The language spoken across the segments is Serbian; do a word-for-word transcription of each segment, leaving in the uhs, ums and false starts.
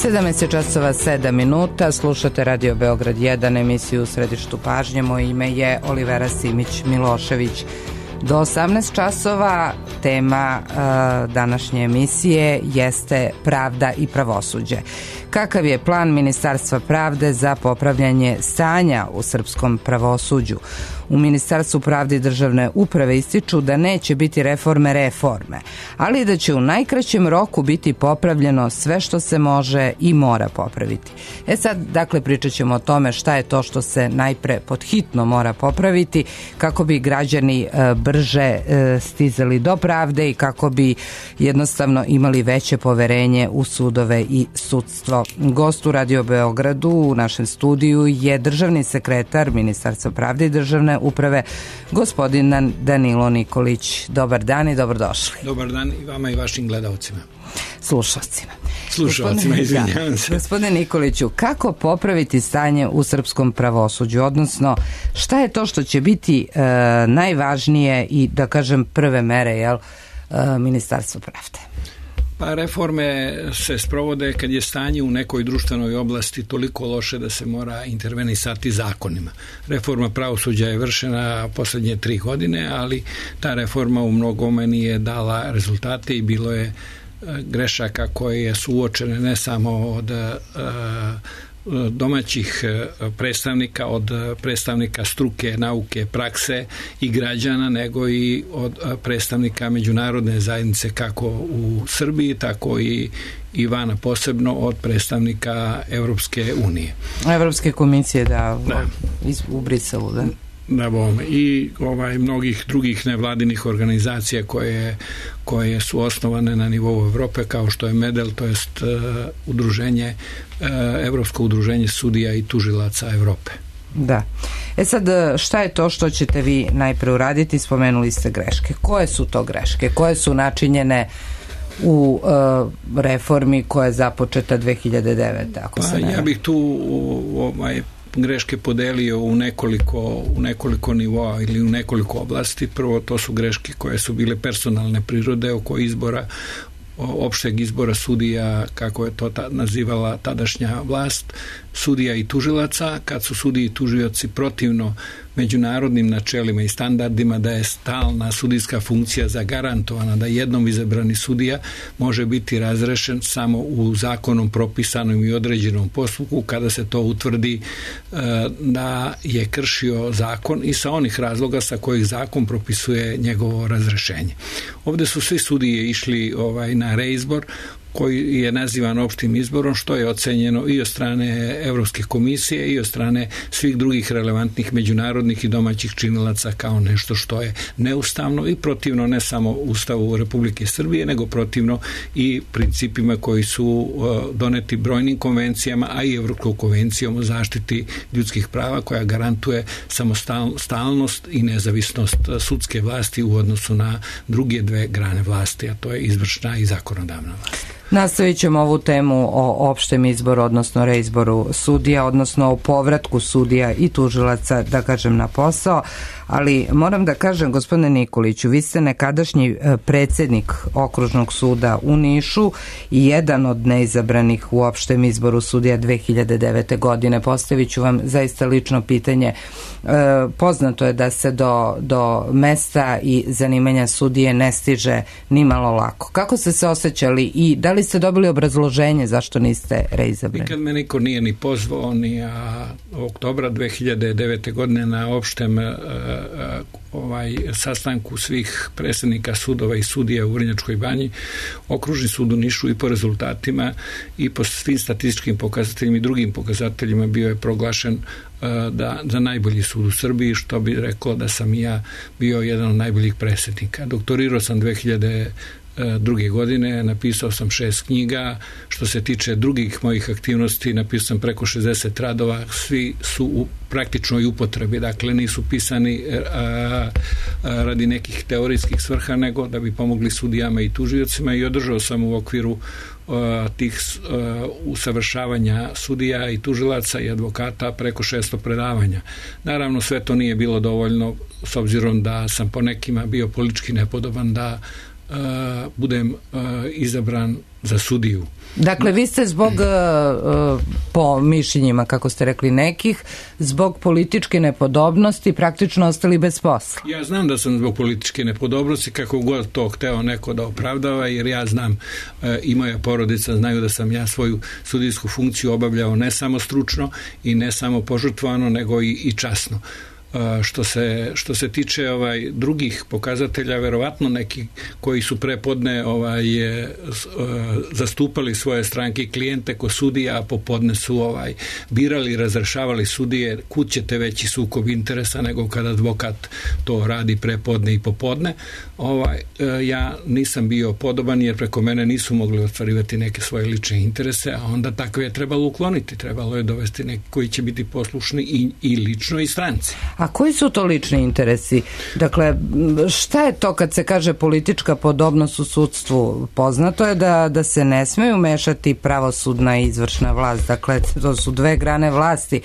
sedamnaest časova sedam minuta, slušate Radio Beograd jedan, emisiju u središtu pažnje. Moje ime je Olivera Simić-Milošević. Do osamnaest časova tema uh, današnje emisije jeste pravda i pravosuđe. Kakav je plan Ministarstva pravde za popravljanje stanja u srpskom pravosuđu? U Ministarstvu pravde i državne uprave ističu da neće biti reforme reforme, ali da će u najkraćem roku biti popravljeno sve što se može i mora popraviti. E sad, dakle, pričat ćemo o tome šta je to što se najpre podhitno mora popraviti kako bi građani e, brže e, stizali do pravde i kako bi jednostavno imali veće poverenje u sudove i sudstvo. Gost u Radio Beogradu u našem studiju je državni sekretar Ministarstva pravde i državne uprave, gospodin Danilo Nikolić. Dobar dan i dobrodošli. Dobar dan i vama i vašim gledalcima. Slušalcima. Slušalcima, izvinjavam se. Gospodine Nikoliću, kako popraviti stanje u srpskom pravosuđu, odnosno šta je to što će biti e, najvažnije i, da kažem, prve mere, jel, e, Ministarstva pravde? Pa reforme se sprovode kad je stanje u nekoj društvenoj oblasti toliko loše da se mora intervenisati zakonima. Reforma pravosuđa je vršena posljednje tri godine, ali ta reforma u mnogome nije dala rezultate i bilo je grešaka koje su uočene ne samo od domaćih predstavnika, od predstavnika struke, nauke, prakse i građana, nego i od predstavnika međunarodne zajednice kako u Srbiji, tako i i vana, posebno od predstavnika Evropske unije. Evropske komisije, da, da. u Briselu, da. Da bom, i ovaj, mnogih drugih nevladinih organizacija koje, koje su osnovane na nivou Evrope, kao što je MEDEL, to jest uh, udruženje, uh, Evropsko udruženje sudija i tužilaca Evrope. Da. E sad, šta je to što ćete vi najpre uraditi? Spomenuli ste greške. Koje su to greške? Koje su načinjene u uh, reformi koja je započeta dve hiljade devete. Ako pa, se ne... Ja bih tu ovaj, greške podelio u nekoliko, u nekoliko nivoa ili u nekoliko oblasti. Prvo, to su greške koje su bile personalne prirode oko izbora, opšteg izbora sudija, kako je to ta, nazivala tadašnja vlast, sudija i tužilaca, kad su sudiji i tužioci protivno međunarodnim načelima i standardima da je stalna sudijska funkcija zagarantovana, da jednom izabrani sudija može biti razrešen samo u zakonom propisanom i određenom postupku kada se to utvrdi e, da je kršio zakon i sa onih razloga sa kojih zakon propisuje njegovo razrešenje. Ovde su svi sudije išli ovaj, na reizbor koji je nazivan opštim izborom, što je ocenjeno i od strane Evropske komisije i od strane svih drugih relevantnih međunarodnih i domaćih činilaca kao nešto što je neustavno i protivno ne samo Ustavu Republike Srbije, nego protivno i principima koji su doneti brojnim konvencijama, a i Evropskom konvencijom o zaštiti ljudskih prava koja garantuje samostalnost i nezavisnost sudske vlasti u odnosu na druge dve grane vlasti, a to je izvršna i zakonodavna vlast. Nastavit ćemo ovu temu o opštem izboru, odnosno reizboru sudija, odnosno o povratku sudija i tužilaca, da kažem, na posao, ali moram da kažem, gospodine Nikoliću, vi ste nekadašnji predsjednik Okružnog suda u Nišu i jedan od neizabranih u opštem izboru sudija dve hiljade devete. godine. Postavit ću vam zaista lično pitanje. E, poznato je da se do, do mesta i zanimanja sudije ne stiže ni malo lako. Kako ste se osjećali i da li ste dobili obrazloženje zašto niste reizabrani? Nikad me niko nije ni pozvao, ni a, oktobra dve hiljade devete. godine na opštem a, a, ovaj, sastanku svih predsjednika sudova i sudija u Vrnjačkoj banji, Okružni sud u Nišu i po rezultatima i po svim statističkim pokazateljima i drugim pokazateljima bio je proglašen da, za najbolji sud u Srbiji, što bi reklo da sam i ja bio jedan od najboljih predsjednika. Doktorirao sam dve hiljade druge godine, napisao sam šest knjiga. Što se tiče drugih mojih aktivnosti, napisao sam preko šezdeset radova, svi su u praktičnoj upotrebi, dakle nisu pisani a, a, radi nekih teorijskih svrha, nego da bi pomogli sudijama i tužiocima, i održao sam u okviru a, tih a, usavršavanja sudija i tužilaca i advokata preko šesto predavanja. Naravno, sve to nije bilo dovoljno, s obzirom da sam po nekima bio politički nepodoban da Uh, budem uh, izabran za sudiju. Dakle, vi ste zbog, po mišljenjima, kako ste rekli, nekih, zbog političke nepodobnosti praktično ostali bez posla. Ja znam da sam zbog političke nepodobnosti, kako god to hteo neko da opravdava, jer ja znam i moja porodica znaju da sam ja svoju sudijsku funkciju obavljao ne samo stručno i ne samo požrtvovano, nego i, i časno. Što se, što se tiče ovaj drugih pokazatelja, verovatno neki koji su prepodne ovaj, zastupali svoje stranke i klijente ko sudija, a popodne su ovaj, birali i razrešavali sudije, kud ćete veći sukob interesa nego kada advokat to radi prepodne i popodne. Ovaj, ja nisam bio podoban jer preko mene nisu mogli ostvarivati neke svoje lične interese, a onda takve je trebalo ukloniti. Trebalo je dovesti neki koji će biti poslušni i, i lično i stranci. A koji su to lični interesi? Dakle, šta je to kad se kaže politička podobnost u sudstvu? Poznato je da, da se ne smeju mešati pravosudna i izvršna vlast. Dakle, to su dve grane vlasti.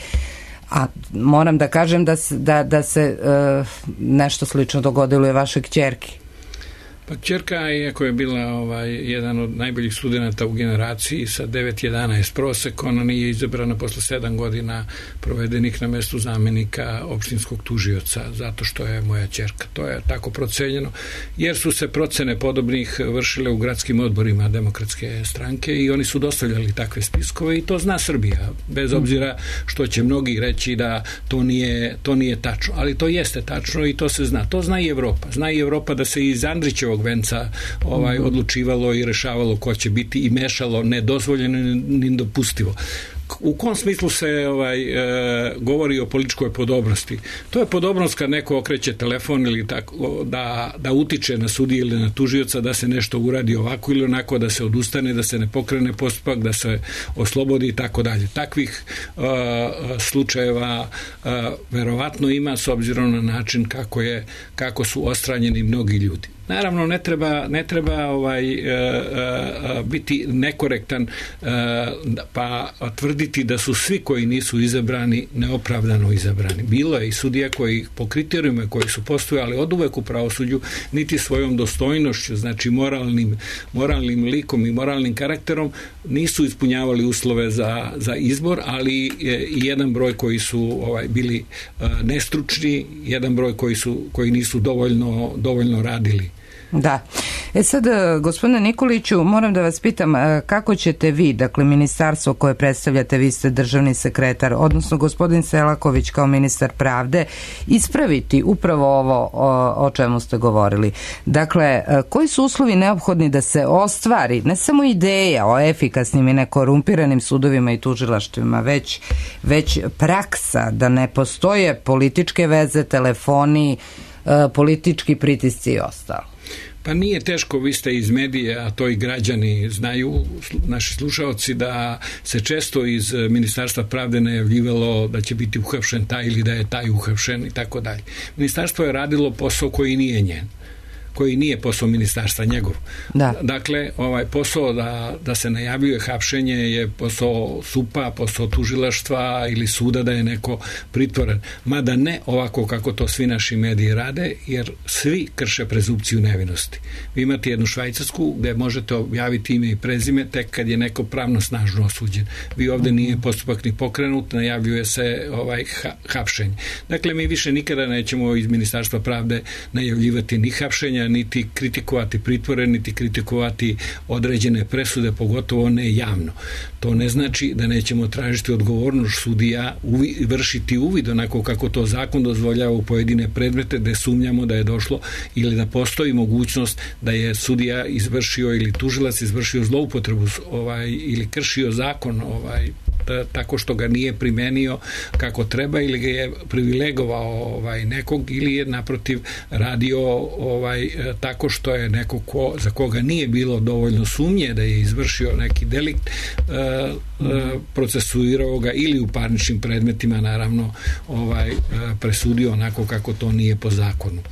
A moram da kažem da se, da, da se uh, nešto slično dogodilo je vašoj kćerki. Pa kćerka, iako je bila ovaj, jedan od najboljih studenata u generaciji sa devet jedanaest prosek, ona nije izabrana posle sedam godina provedenih na mestu zamenika opštinskog tužioca, zato što je moja kćerka. To je tako procenjeno, jer su se procene podobnih vršile u gradskim odborima Demokratske stranke i oni su dostavljali takve spiskove i to zna Srbija, bez obzira što će mnogi reći da to nije, to nije tačno, ali to jeste tačno i to se zna. To zna i Evropa. Zna i Evropa da se iz Andrićevog venca ovaj, odlučivalo i rešavalo ko će biti i mešalo nedozvoljeno ni dopustivo. U kom smislu se ovaj, e, govori o političkoj podobnosti? To je podobnost kad neko okreće telefon ili tako, da, da utiče na sudiju ili na tužioca da se nešto uradi ovako ili onako, da se odustane, da se ne pokrene postupak, da se oslobodi i tako dalje. Takvih e, slučajeva e, verovatno ima s obzirom na način kako, je, kako su ostranjeni mnogi ljudi. Naravno, ne treba, ne treba ovaj, e, e, biti nekorektan e, pa tvrditi da su svi koji nisu izabrani neopravdano izabrani. Bilo je i sudija koji po kriterijima koji su postojali oduvek u pravosuđu, niti svojom dostojnošću, znači moralnim, moralnim likom i moralnim karakterom, nisu ispunjavali uslove za, za izbor, ali i jedan broj koji su ovaj, bili e, nestručni, jedan broj koji, su, koji nisu dovoljno, dovoljno radili. Da. E sad, gospodine Nikoliću, moram da vas pitam kako ćete vi, dakle ministarstvo koje predstavljate, vi ste državni sekretar, odnosno gospodin Selaković kao ministar pravde, ispraviti upravo ovo o, o čemu ste govorili. Dakle, koji su uslovi neophodni da se ostvari ne samo ideja o efikasnim i nekorumpiranim sudovima i tužilaštvima, već, već praksa, da ne postoje političke veze, telefoni, politički pritisci i ostalo? Pa nije teško, vi ste iz medija, a to i građani znaju, naši slušaoci, da se često iz Ministarstva pravde najavljivalo da će biti uhapšen taj ili da je taj uhapšen i tako dalje. Ministarstvo je radilo posao koji nije njen, koji nije posao ministarstva njegov. Da. Dakle, ovaj posao da, da se najavljuje hapšenje je posao supa, posao tužilaštva ili suda da je neko pritvoren. Mada ne ovako kako to svi naši mediji rade, jer svi krše prezumpciju nevinosti. Vi imate jednu Švajcarsku gde možete objaviti ime i prezime tek kad je neko pravno snažno osuđen. Vi ovde nije postupak ni pokrenut, najavljuje se ovaj ha, hapšenje. Dakle, mi više nikada nećemo iz Ministarstva pravde najavljivati ni hapšenja, niti kritikovati pritvore, niti kritikovati određene presude, pogotovo ne javno. To ne znači da nećemo tražiti odgovornost sudija, uvi, vršiti uvid onako kako to zakon dozvoljava u pojedine predmete gde sumnjamo da je došlo ili da postoji mogućnost da je sudija izvršio ili tužilac izvršio zloupotrebu ovaj, ili kršio zakon ovaj, tako što ga nije primenio kako treba ili ga je privilegovao ovaj, nekog ili je naprotiv radio ovaj, tako što je neko ko, za koga nije bilo dovoljno sumnje da je izvršio neki delikt, e, e, procesuirao ga ili u parničnim predmetima naravno ovaj, presudio onako kako to nije po zakonu.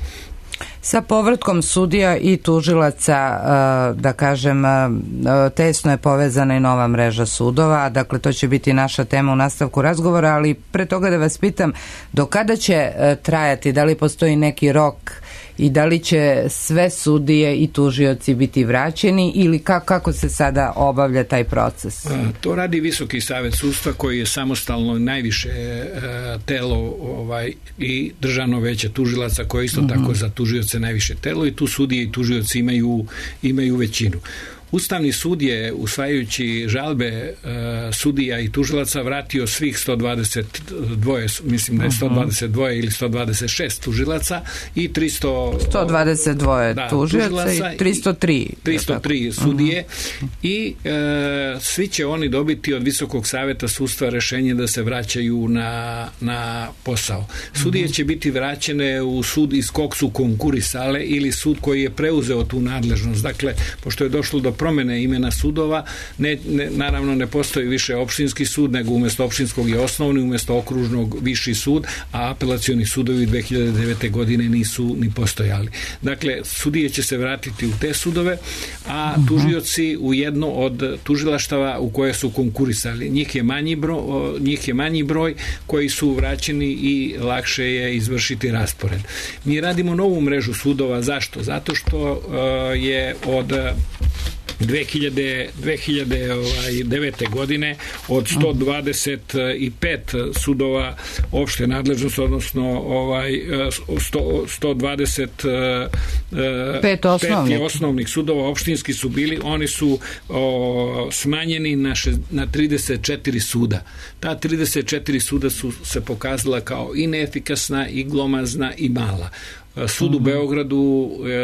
Sa povratkom sudija i tužilaca, da kažem, tesno je povezana i nova mreža sudova, dakle to će biti naša tema u nastavku razgovora, ali pre toga da vas pitam, do kada će trajati, da li postoji neki rok i da li će sve sudije i tužioci biti vraćeni ili kako, kako se sada obavlja taj proces? To radi Visoki savet sudstva koji je samostalno najviše telo ovaj, i Državno veće tužilaca koje isto uh-huh. tako za tužioce najviše telo i tu sudije i tužioci imaju, imaju većinu. Ustavni sud je, usvajajući žalbe e, sudija i tužilaca, vratio svih sto dvadeset dva, mislim da je sto dvadeset dva ili sto dvadeset šest tužilaca i tristo... sto dvadeset dva da, tužilaca i tristo tri. tristo tri sudije uh-huh. i e, svi će oni dobiti od Visokog saveta sudstva rešenje da se vraćaju na, na posao. Sudije uh-huh. će biti vraćene u sud iz kog su konkurisale ili sud koji je preuzeo tu nadležnost. Dakle, pošto je došlo do promene imena sudova, ne, ne, naravno ne postoji više opštinski sud, nego umjesto opštinskog je osnovni, umjesto okružnog viši sud, a apelacioni sudovi dve hiljade devete. godine nisu ni postojali. Dakle, sudije će se vratiti u te sudove, a tužioci u jedno od tužilaštava u koje su konkurisali. Njih je manji broj, njih je manji broj koji su vraćeni i lakše je izvršiti raspored. Mi radimo novu mrežu sudova. Zašto? Zato što uh, je od dve hiljade devete. godine od sto dvadeset pet sudova opšte nadležnosti, odnosno ovaj sto, sto dvadeset pet osnovnih. osnovnih sudova opštinski su bili, oni su o, smanjeni na, še, na trideset četiri suda. Ta trideset četiri suda su se pokazala kao i neefikasna, i glomazna, i mala. Sud u Beogradu e,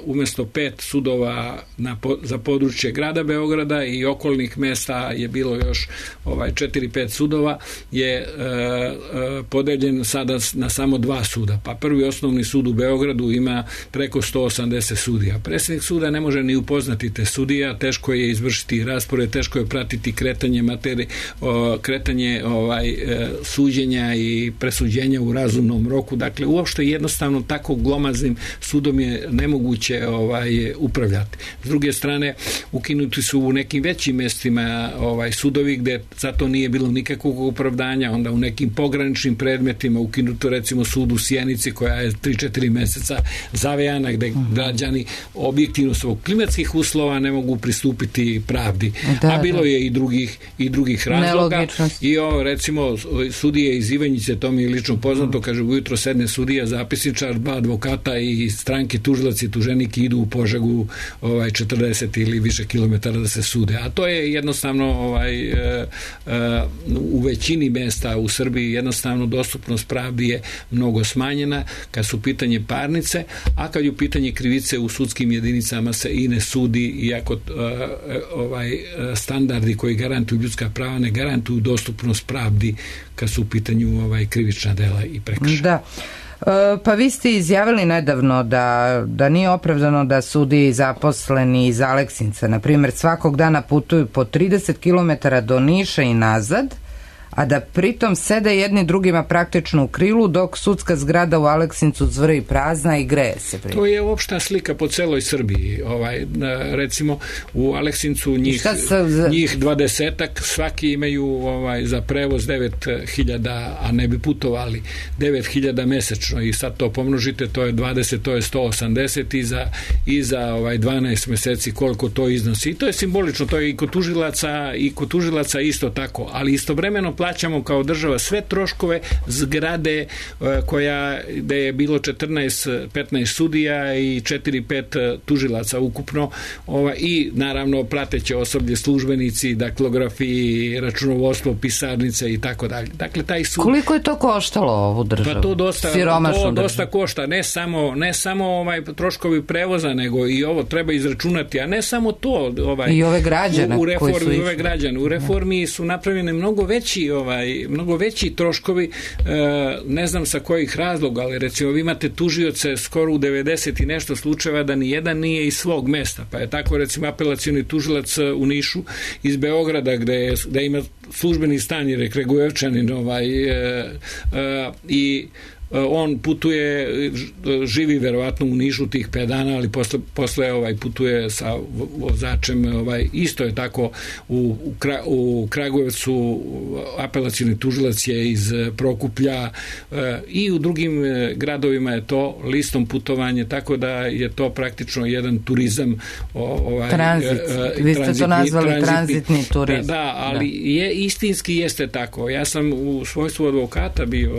umjesto pet sudova na, za područje grada Beograda i okolnih mesta je bilo još ovaj četiri pet sudova, je e, e, podeljen sada na samo dva suda. Pa prvi osnovni sud u Beogradu ima preko sto osamdeset sudija. Predsjednik suda ne može ni upoznati te sudija, teško je izvršiti raspored, teško je pratiti kretanje materi, o, kretanje ovaj e, suđenja i presuđenja u razumnom roku. Dakle, uopšte jednostavno tako glomaznim sudom je nemoguće ovaj upravljati. S druge strane, ukinuti su u nekim većim mestima ovaj sudovi gde zato nije bilo nikakvog opravdanja, onda u nekim pograničnim predmetima ukinuto recimo sud u Sjenici koja je tri četiri meseca zavejana, gde građani objektivno svog klimatskih uslova ne mogu pristupiti pravdi. Da, a bilo da. je i drugih i drugih razloga. I o, recimo sudije iz Ivanjice, to mi je lično poznato, kaže ujutro sedne sudija, zapisničar, dva advokata i stranke tužilac i tuženik idu u Požegu ovaj četrdeset ili više kilometara da se sude. A to je jednostavno ovaj e, e, u većini mesta u Srbiji jednostavno dostupnost pravdi je mnogo smanjena kad su pitanje parnice, a kad je u pitanje krivice u sudskim jedinicama se i ne sudi, iako e, ovaj standardi koji garantuju ljudska prava ne garantuju dostupnost pravdi kad su u pitanju ovaj krivična dela i prekršaji. Da. Pa vi ste izjavili nedavno da, da nije opravdano da sudiji zaposleni iz Aleksinca, na primjer, svakog dana putuju po trideset kilometara do Niša i nazad, a da pritom sede jedni drugima praktično u krilu, dok sudska zgrada u Aleksincu zvrji prazna i greje se. Prije. To je opšta slika po celoj Srbiji. Ovaj, recimo u Aleksincu njih, za... njih dvadesetak, svaki imaju ovaj, za prevoz devet hiljada, a ne bi putovali devet hiljada mesečno, i sad to pomnožite, to je dvadeset, to je sto osamdeset i za, i za ovaj, dvanaest meseci koliko to iznosi. I to je simbolično, to je i kod tužilaca, i kod tužilaca isto tako, ali istovremeno plaćamo kao država sve troškove zgrade koja, gde je bilo četrnaest petnaest sudija i četiri pet tužilaca ukupno, ova, i naravno prateće osoblje, službenici, daktilografi, računovodstvo, pisarnice i tako dalje. Dakle, taj sud... Koliko je to koštalo ovu državu? Pa to dosta, to dosta košta. Ne samo, ne samo ovaj troškovi prevoza, nego i ovo treba izračunati, a ne samo to. Ovaj, I ove građane u, u reformi, koji su ove građane. U reformi su napravljene mnogo veći ovaj, mnogo veći troškovi, ne znam sa kojih razloga, ali recimo vi imate tužioce skoro u devedeset i nešto slučajeva da ni jedan nije iz svog mesta, pa je tako recimo apelacioni tužilac u Nišu iz Beograda gde, je, gde ima službeni stan jer je Kragujevčanin ovaj, i on putuje, živi verovatno u Nišu tih pet dana, ali posle, posle ovaj, putuje sa vozačem, ovaj, isto je tako u, u, Kra, u Kragujevcu apelacioni tužilac je iz Prokuplja i u drugim gradovima je to listom putovanje, tako da je to praktično jedan turizam ovaj, tranzit, vi ste to nazvali tranzitni turizam. Da, da, ali da. Je, istinski jeste tako. Ja sam u svojstvu advokata bio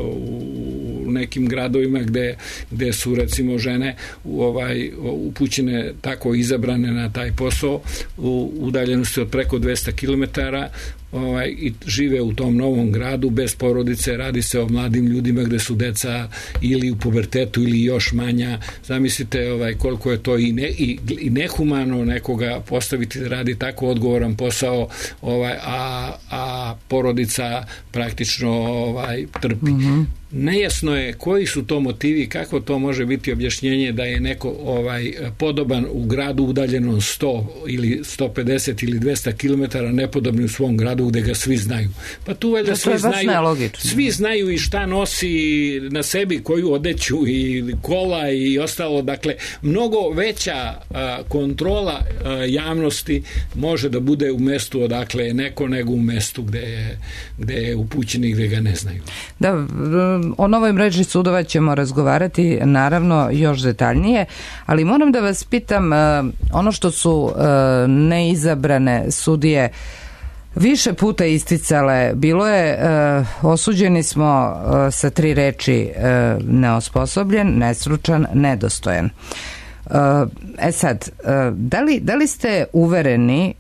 u nekim gradovima gde, gde su recimo žene ovaj, upućene tako izabrane na taj posao u udaljenosti od preko dvesta kilometara ovaj, i žive u tom novom gradu bez porodice, radi se o mladim ljudima gde su deca ili u pubertetu ili još manja. Zamislite ovaj, koliko je to i, ne, i, i nehumano nekoga postaviti da radi tako odgovoran posao, ovaj, a, a porodica praktično ovaj, trpi. Mm-hmm. Nejasno je koji su to motivi, kako to može biti objašnjenje da je neko ovaj podoban u gradu udaljenom sto ili sto pedeset ili dvesta kilometara, nepodobni u svom gradu gde ga svi znaju. Pa tu valjda svi znaju, svi znaju i šta nosi na sebi, koju odeću i kola i ostalo. Dakle, mnogo veća a, kontrola a, javnosti može da bude u mestu odakle je neko nego u mestu gde je, gde je upućen i gde ga ne znaju. Da, o novoj mreži sudova ćemo razgovarati naravno još detaljnije, ali moram da vas pitam, ono što su neizabrane sudije više puta isticale, bilo je osuđeni smo sa tri reči neosposobljen, nestručan, nedostojan. E sad, da li, da li ste uvereni,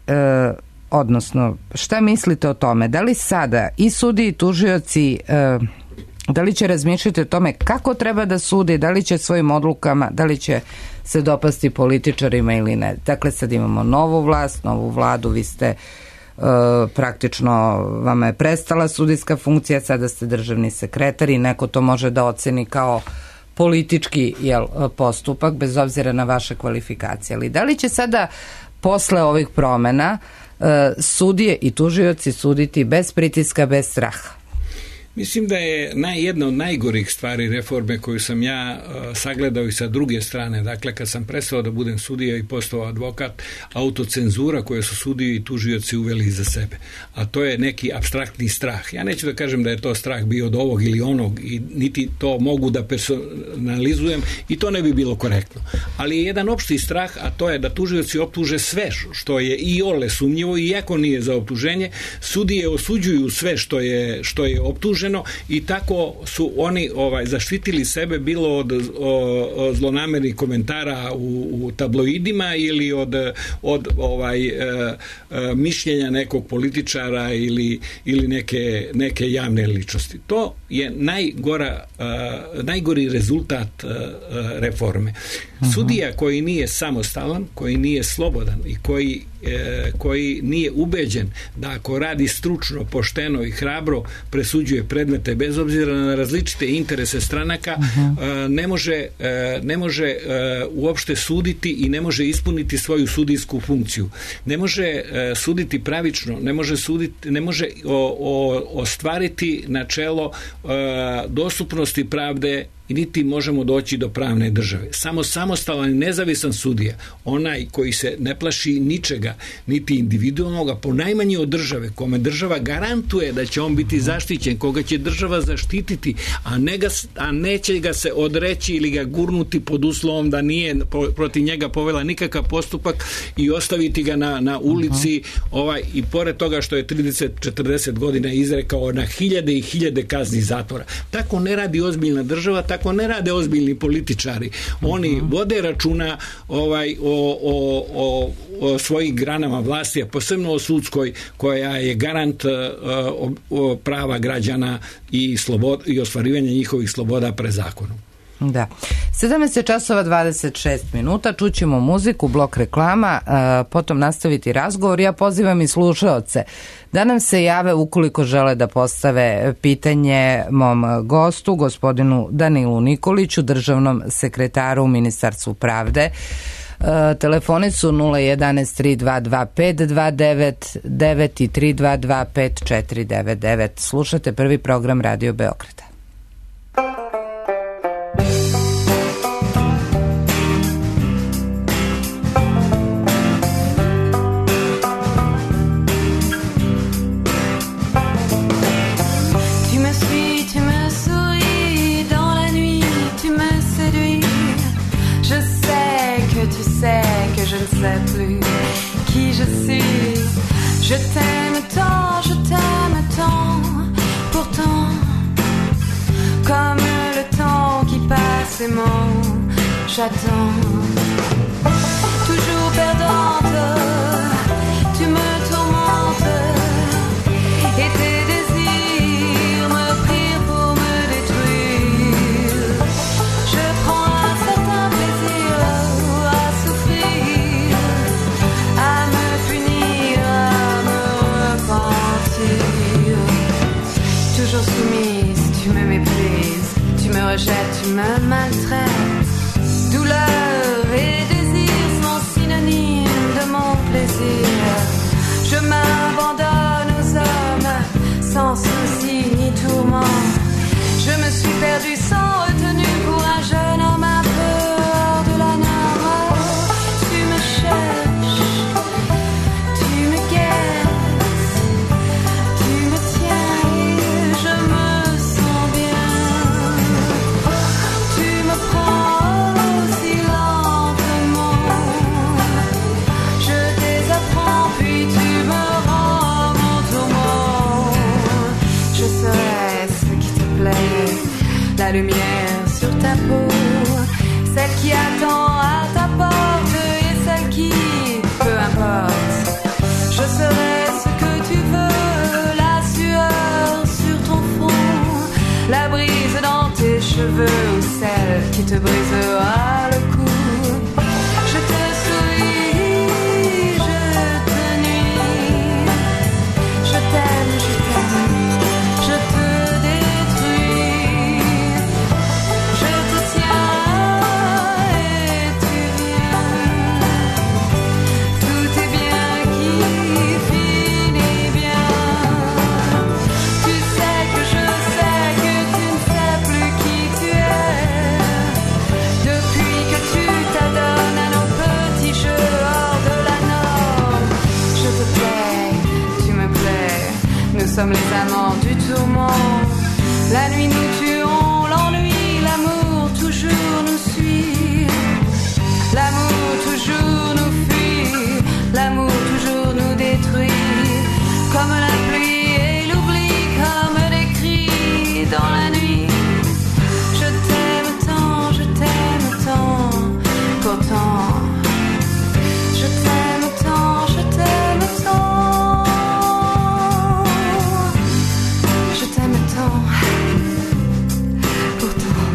odnosno šta mislite o tome, da li sada i sudiji i tužioci da li će razmišljati o tome kako treba da sudi, da li će svojim odlukama, da li će se dopasti političarima ili ne. Dakle, sad imamo novu vlast, novu vladu, vi ste uh, praktično, vama je prestala sudijska funkcija, sada ste državni sekretar i neko to može da oceni kao politički jel, postupak, bez obzira na vaše kvalifikacije. Ali da li će sada posle ovih promena uh, sudije i tužioci suditi bez pritiska, bez straha? Mislim da je naj, jedna od najgorih stvari reforme koju sam ja uh, sagledao i sa druge strane. Dakle, kad sam prestao da budem sudija i postao advokat, autocenzura koju su sudiji i tužioci uveli iza sebe. A to je neki apstraktni strah. Ja neću da kažem da je to strah bio od ovog ili onog i niti to mogu da personalizujem i to ne bi bilo korektno. Ali je jedan opšti strah, a to je da tužioci optuže sve što je i ole sumnjivo i iako nije za optuženje, sudije osuđuju sve što je, što je optuženo i tako su oni ovaj zaštitili sebe bilo od o, o zlonamernih komentara u, u tabloidima ili od, od ovaj e, e, mišljenja nekog političara ili, ili neke, neke javne ličnosti. To je najgora, e, najgori rezultat e, reforme. Uh-huh. Sudija koji nije samostalan, koji nije slobodan i koji E, koji nije ubeđen da ako radi stručno, pošteno i hrabro presuđuje predmete bez obzira na različite interese stranaka, uh-huh. e, ne može, e, ne može e, uopšte suditi i ne može ispuniti svoju sudijsku funkciju. Ne može e, suditi pravično, ne može suditi, ne može o, o, ostvariti načelo e, dostupnosti pravde i niti možemo doći do pravne države. Samo samostalan i nezavisan sudija, onaj koji se ne plaši ničega, niti individualnoga, ponajmanje od države, kome država garantuje da će on biti zaštićen, koga će država zaštititi, a, ne ga, a neće ga se odreći ili ga gurnuti pod uslovom da nije protiv njega povela nikakav postupak i ostaviti ga na, na ulici, ovaj, i pored toga što je trideset četrdeset godina izrekao na hiljade i hiljade kazni zatvora. Tako ne radi ozbiljna država, tako ne rade ozbiljni političari. Oni uh-huh. vode računa ovaj, o, o, o, o svojim granama vlasti, a posebno o sudskoj, koja je garant uh, o, o prava građana i, slobod, i ostvarivanja njihovih sloboda pred zakonom. Da. sedamnaest časova dvadeset šest minuta, čućemo muziku, blok reklama, potom nastaviti razgovor. Ja pozivam i slušaoce da nam se jave ukoliko žele da postave pitanje mom gostu, gospodinu Danilu Nikoliću, državnom sekretaru u Ministarstvu pravde. Telefoni su nula jedan tri dva dva pet dva devet devet i tri dva dva pet četiri devet devet. Slušate prvi program Radio Beograda. j'attends, toujours perdante, tu me tourmentes, et tes désirs me prient pour me détruire. Je prends un certain plaisir à souffrir, à me punir, à me repentir. Toujours soumise, tu me méprises, tu me rejettes, tu me maltraites. Douleur et désir sont synonymes de mon plaisir. Je m'abandonne aux hommes sans souci ni tourment. Je me suis perdue sans retenue pour un jeune homme à peur de la norme. Tu me cherches, tu me guettes, tu me tiens et je me sens bien. Tu me prends si lentement, je désapprends puis tu me rends mon tourment. Je serai ce qui te plaît, la lumière sur ta peau, celle qui attend à ta porte et celle qui, peu importe, je serai ce que tu veux, la sueur sur ton front, la brise dans tes cheveux ou celle qui te brisera le cou. Je te souris, je te nuis, je t'aime, je t'aime, je te détruis, je te tiens et tu viens, tout est bien qui finit bien. Tu sais que je sais que tu ne sais plus qui tu es, depuis que tu t'adonnes à nos petits jeux hors de la norme. Je te plais, tu me plais, nous sommes les amants du tourment. La nuit nous tuons, l'ennui, l'amour toujours nous suit. L'amour toujours nous fuit, l'amour toujours nous détruit. Comme la pluie et l'oubli, comme des cris dans la nuit. Je t'aime tant, je t'aime tant, pourtant. Je t'aime tant, je t'aime tant. Je t'aime tant, pourtant.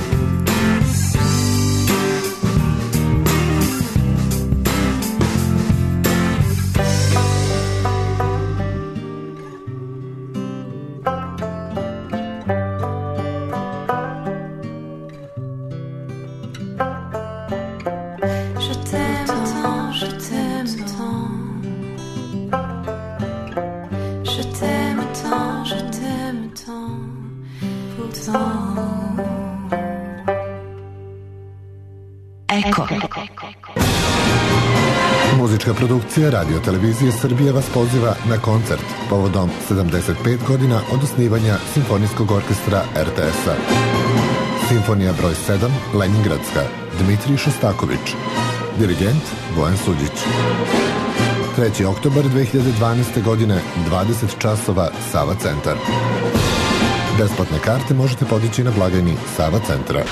Je t'aime tant, je t'aime tant. Je t'aime tant, je t'aime tant, pourtant. Eko. Muzička produkcija Radio Televizije Srbije vas poziva na koncert povodom sedamdeset pet godina od osnivanja Simfonijskog orkestra er te es-a. Simfonija broj sedam, Leningradska, Dmitrij Šostaković. Dirigent Bojan Suđić. treći oktobar dve hiljade dvanaeste. godine, dvadeset časova, Sava centar. Besplatne karte možete podići na blagajni Sava centra.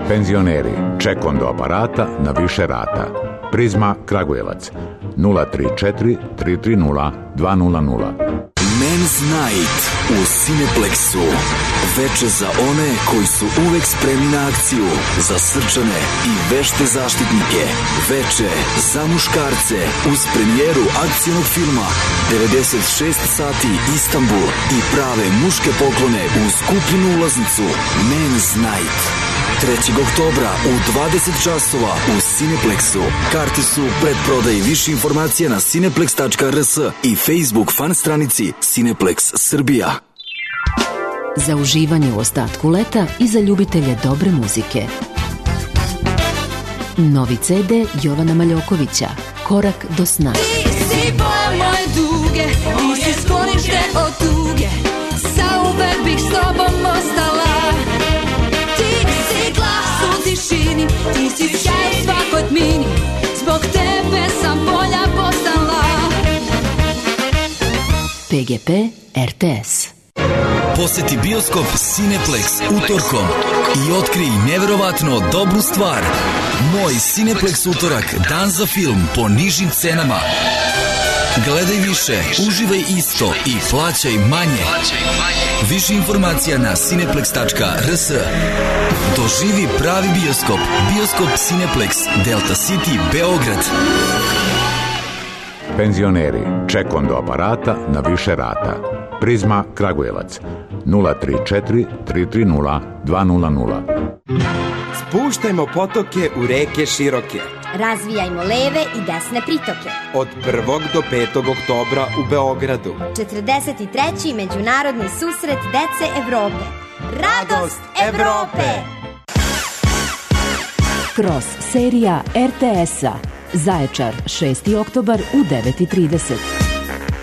Penzioneri, ček do aparata na više rata. Prizma Kragujevac nula tri četiri tri tri nula dva nula nula. Men's Night u Cineplexu. Veče za one koji su uvek spremni na akciju, za srčane i vešte zaštitnike. Veče za muškarce uz premijeru akcijnog filma devedeset šest sati Istanbul i prave muške poklone uz kupljenu ulaznicu. Men's Night. trećeg oktobra u dvadeset časova u Cineplexu. Karte su pred prodaj. Više informacija na cineplex tačka r s i Facebook fan stranici Cineplex Srbija. Za uživanje u ostatku leta i za ljubitelje dobre muzike. Novi ce de Jovana Maljokovića, Korak do sna. Ti si boja moje duge, ti si sklonište od tuge, zauvek bih s tobom ostala. Ti si glas u tišini, ti si sjaj u svakoj tmini, zbog tebe sam bolja postala. pe ge pe er te es. Poseti bioskop Cineplex utorkom. i otkrij neverovatno dobru stvar. Moj Cineplex utorak, dan za film po nižim cenama. Gledaj više, uživaj isto i plaćaj manje. Više informacija na cineplex tačka r s. Doživi pravi bioskop. Bioskop Cineplex, Delta City, Beograd. Penzioneri, ček do aparata na više rata. Prizma Kragujevac, nula tri četiri tri tri nula dva nula nula. Spuštajmo potoke u reke široke. Razvijajmo leve i desne pritoke. Od prvog do petog oktobra u Beogradu. četrdeset treći Međunarodni susret dece Evrope. Radost Evrope! Kroz serija er te es-a. Zaječar, šesti oktobar u devet i trideset.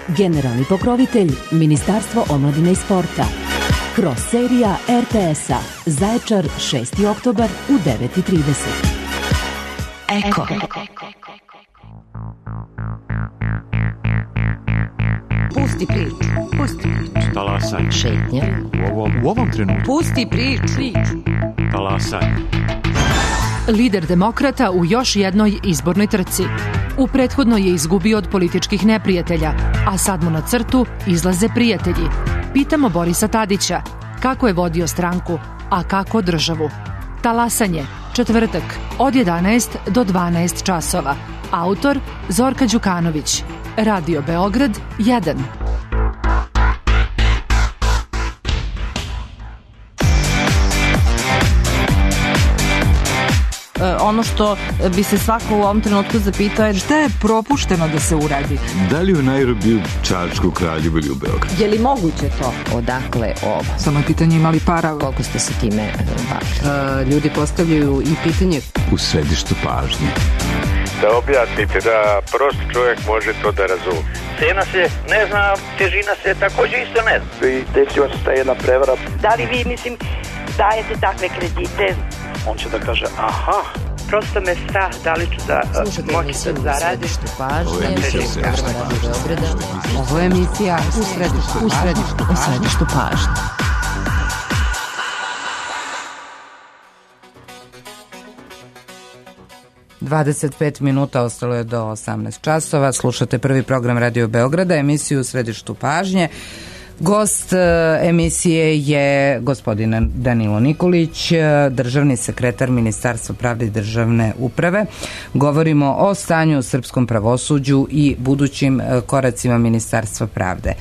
Generalni pokrovitelj Ministarstvo omladine i sporta. Kroz serija er te es-a. Zaječar, šesti oktobar u devet i trideset. Eko. Pusti priču, pusti priču. Talasaj. Šetnja. U ovom, u ovom trenutku. Pusti priču. Talasaj. Lider demokrata u još jednoj izbornoj trci. U prethodnoj je izgubio od političkih neprijatelja, a sad mu na crtu izlaze prijatelji. Pitamo Borisa Tadića kako je vodio stranku, a kako državu. Talasanje, četvrtak, od jedanaest do dvanaest časova. Autor Zorka Đukanović. Radio Beograd jedan. Ono što bi se svako u ovom trenutku zapitao je šta je propušteno da se uradi. Da li u Nairobiju, Čačku, Kraljevu ili u Beogradu? Je li moguće to? Odakle ovo? Samo je pitanje ima li para. Koliko ste se time bavili? Uh, ljudi postavljaju i pitanje. U središtu pažnje. Da objasnite, da prost čovjek može to da razumije. Cena se ne zna, težina se također isto ne zna. I desila se ta jedna prevara. Da li vi, mislim, dajete takve kredite? On će da kaže, aha, prosto me strah, da li ću da moći da zaradim. Ovo je emisija Ovo je emisija u središtu u središtu, u središtu pažnje. dvadeset pet minuta ostalo je do osamnaest časova. Slušate prvi program Radio Beograda, emisiju u središtu pažnje. Gost emisije je gospodin Danilo Nikolić, državni sekretar Ministarstva pravde i državne uprave. Govorimo o stanju u srpskom pravosuđu i budućim koracima Ministarstva pravde.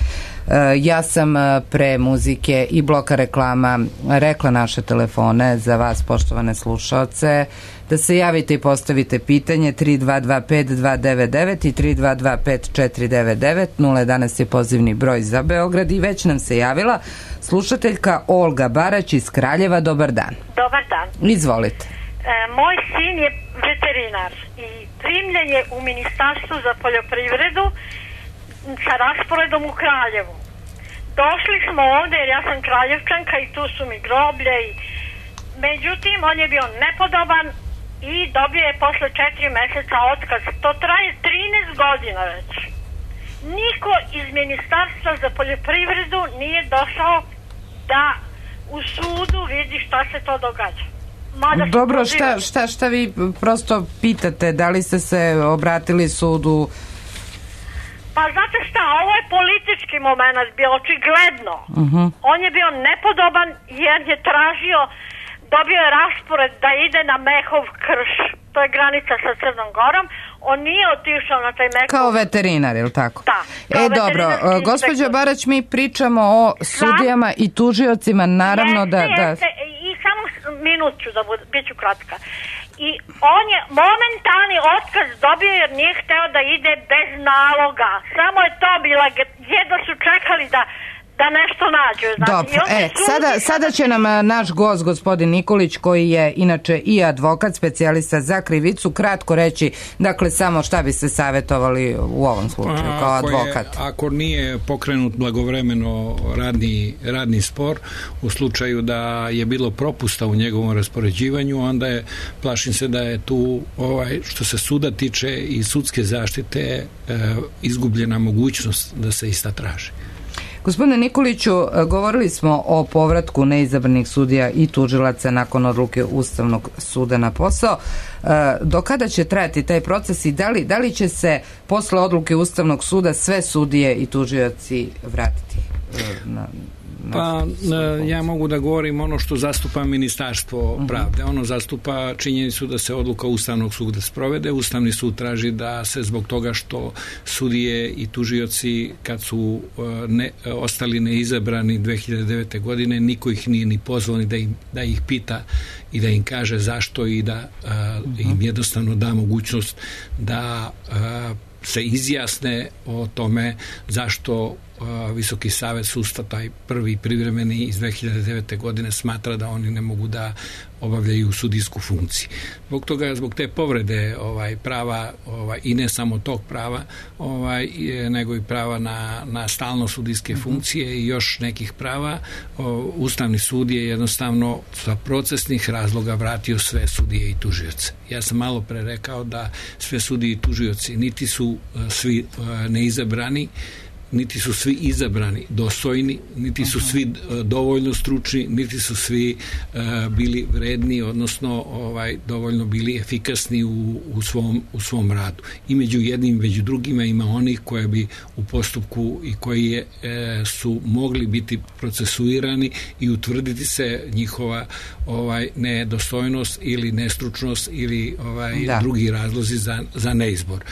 Ja sam pre muzike i bloka reklama rekla naše telefone za vas, poštovane slušaoce, da se javite i postavite pitanje tri dva dva pet dva devet devet i tri dva dva pet četiri devet devet. nula jedanaest je pozivni broj za Beograd i već nam se javila slušateljka Olga Barać iz Kraljeva. Dobar dan. Dobar dan. Izvolite. E, moj sin je veterinar i primljen je u Ministarstvu za poljoprivredu sa rasporedom u Kraljevu. Došli smo ovde jer ja sam Kraljevčanka i tu su mi groblje i međutim on je bio nepodoban i dobio je posle četiri meseca otkaz. To traje trinaest godina već. Niko iz Ministarstva za poljoprivredu nije došao da u sudu vidi šta se to događa. Mada Dobro, šta, šta, šta vi prosto pitate? Da li ste se obratili sudu? Pa znate šta, ovo je politički moment bio, očigledno. Uh-huh. On je bio nepodoban jer je tražio, dobio je raspored da ide na Mehov krš, to je granica sa Crnom Gorom. On nije otišao na taj Mehov. Kao veterinar, je li tako? Da. E, dobro, gospođo Barać, mi pričamo o sudijama i tužiocima, naravno jeste, da... da... Jeste, i samo minut ću da bud, bit ću kratka. I on je momentalni otkaz dobio jer nije hteo da ide bez naloga. Samo je to bila, jedno su čekali da da nešto nađu. Znači, dobro, e, sada, sada će nam naš gost, gospodin Nikolić, koji je inače i advokat, specijalista za krivicu, kratko reći, dakle, samo šta bi se savjetovali u ovom slučaju, kao ako advokat. Je, ako nije pokrenut blagovremeno radni, radni spor, u slučaju da je bilo propusta u njegovom raspoređivanju, onda je, plašim se da je tu, ovaj, što se suda tiče i sudske zaštite, e, izgubljena mogućnost da se ista traži. Gospodine Nikoliću, govorili smo o povratku neizabranih sudija i tužilaca nakon odluke Ustavnog suda na posao. Do kada će trajati taj proces i da li, da li će se posle odluke Ustavnog suda sve sudije i tužioci vratiti na... Pa ja mogu da govorim ono što zastupa Ministarstvo pravde. Ono zastupa činjenicu da se odluka Ustavnog suda sprovede. Ustavni sud traži da se zbog toga što sudije i tužioci kad su ne, ostali neizabrani dve hiljade devete. godine, niko ih nije ni pozvao ni da, im, da ih pita i da im kaže zašto i da uh, im jednostavno da mogućnost da uh, se izjasne o tome zašto Visoki savet sudstva, taj prvi privremeni iz dve hiljade devete. godine, smatra da oni ne mogu da obavljaju sudijsku funkciju. Zbog toga, zbog te povrede ovaj, prava ovaj, i ne samo tog prava, ovaj, nego i prava na, na stalno sudijske funkcije i još nekih prava, o, Ustavni sud je jednostavno sa procesnih razloga vratio sve sudije i tužioce. Ja sam malo pre rekao da sve sudije i tužioci niti su svi neizabrani, niti su svi izabrani dostojni, niti su svi dovoljno stručni, niti su svi uh, bili vredni, odnosno ovaj, dovoljno bili efikasni u, u, svom, u svom radu. I među jednim, među drugima ima onih koje bi u postupku i koji je, e, su mogli biti procesuirani i utvrditi se njihova ovaj, nedostojnost ili nestručnost ili ovaj, drugi razlozi za, za neizbor.